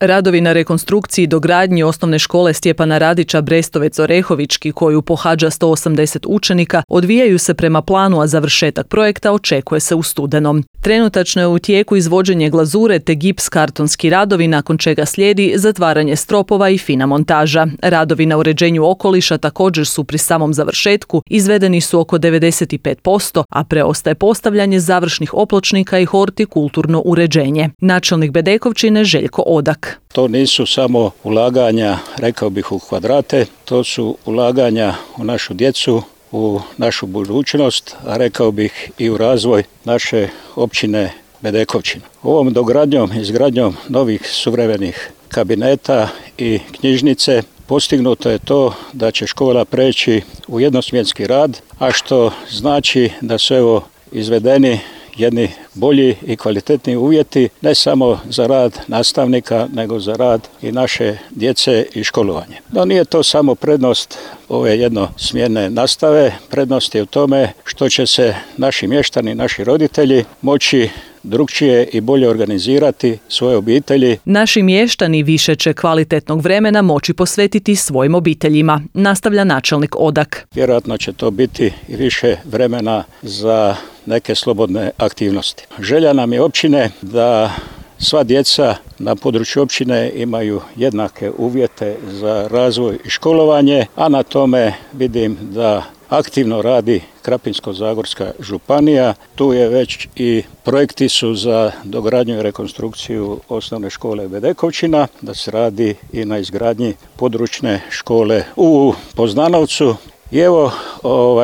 Radovi na rekonstrukciji i dogradnji osnovne škole Stjepana Radića Brestovec-Orehovički, koju pohađa 180 učenika, odvijaju se prema planu, a završetak projekta očekuje se u studenom. Trenutačno je u tijeku izvođenje glazure te gips kartonski radovi, nakon čega slijedi zatvaranje stropova i fina montaža. Radovi na uređenju okoliša također su pri samom završetku, izvedeni su oko 95%, a preostaje postavljanje završnih opločnika i hortikulturno uređenje. Načelnik Bedekovčine Željko Odak. To nisu samo ulaganja, rekao bih, u kvadrate, to su ulaganja u našu djecu, u našu budućnost, a rekao bih i u razvoj naše općine Bedekovčina. Ovom dogradnjom, izgradnjom novih suvremenih kabineta i knjižnice postignuto je to da će škola preći u jednosmjenski rad, a što znači da su izvedeni jedni bolji i kvalitetni uvjeti ne samo za rad nastavnika, nego za rad i naše djece i školovanje. No nije to samo prednost ove jednosmjerne nastave, prednost je u tome što će se naši mještani, naši roditelji moći drukčije i bolje organizirati svoje obitelji. Naši mještani više će kvalitetnog vremena moći posvetiti svojim obiteljima, nastavlja načelnik Odak. Vjerojatno će to biti i više vremena za neke slobodne aktivnosti. Želja nam je općine da sva djeca na području općine imaju jednake uvjete za razvoj i školovanje, a na tome vidim da aktivno radi Krapinsko-zagorska županija. Tu je već i projekti su za dogradnju i rekonstrukciju osnovne škole Bedekovčina, da se radi i na izgradnji područne škole u Poznanovcu. I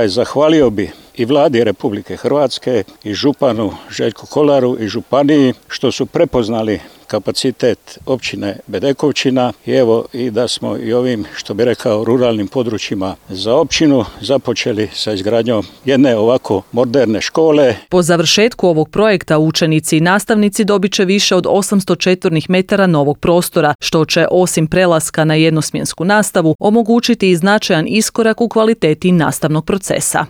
zahvalio bi i Vladi Republike Hrvatske i županu Željku Kolaru i županiji što su prepoznali kapacitet općine Bedekovčina i da smo i ovim, što bi rekao, ruralnim područjima za općinu započeli sa izgradnjom jedne ovako moderne škole. Po završetku ovog projekta učenici i nastavnici dobit će više od 800 četvornih metara novog prostora, što će osim prelaska na jednosmjensku nastavu omogućiti i značajan iskorak u kvaliteti nastavnog procesa.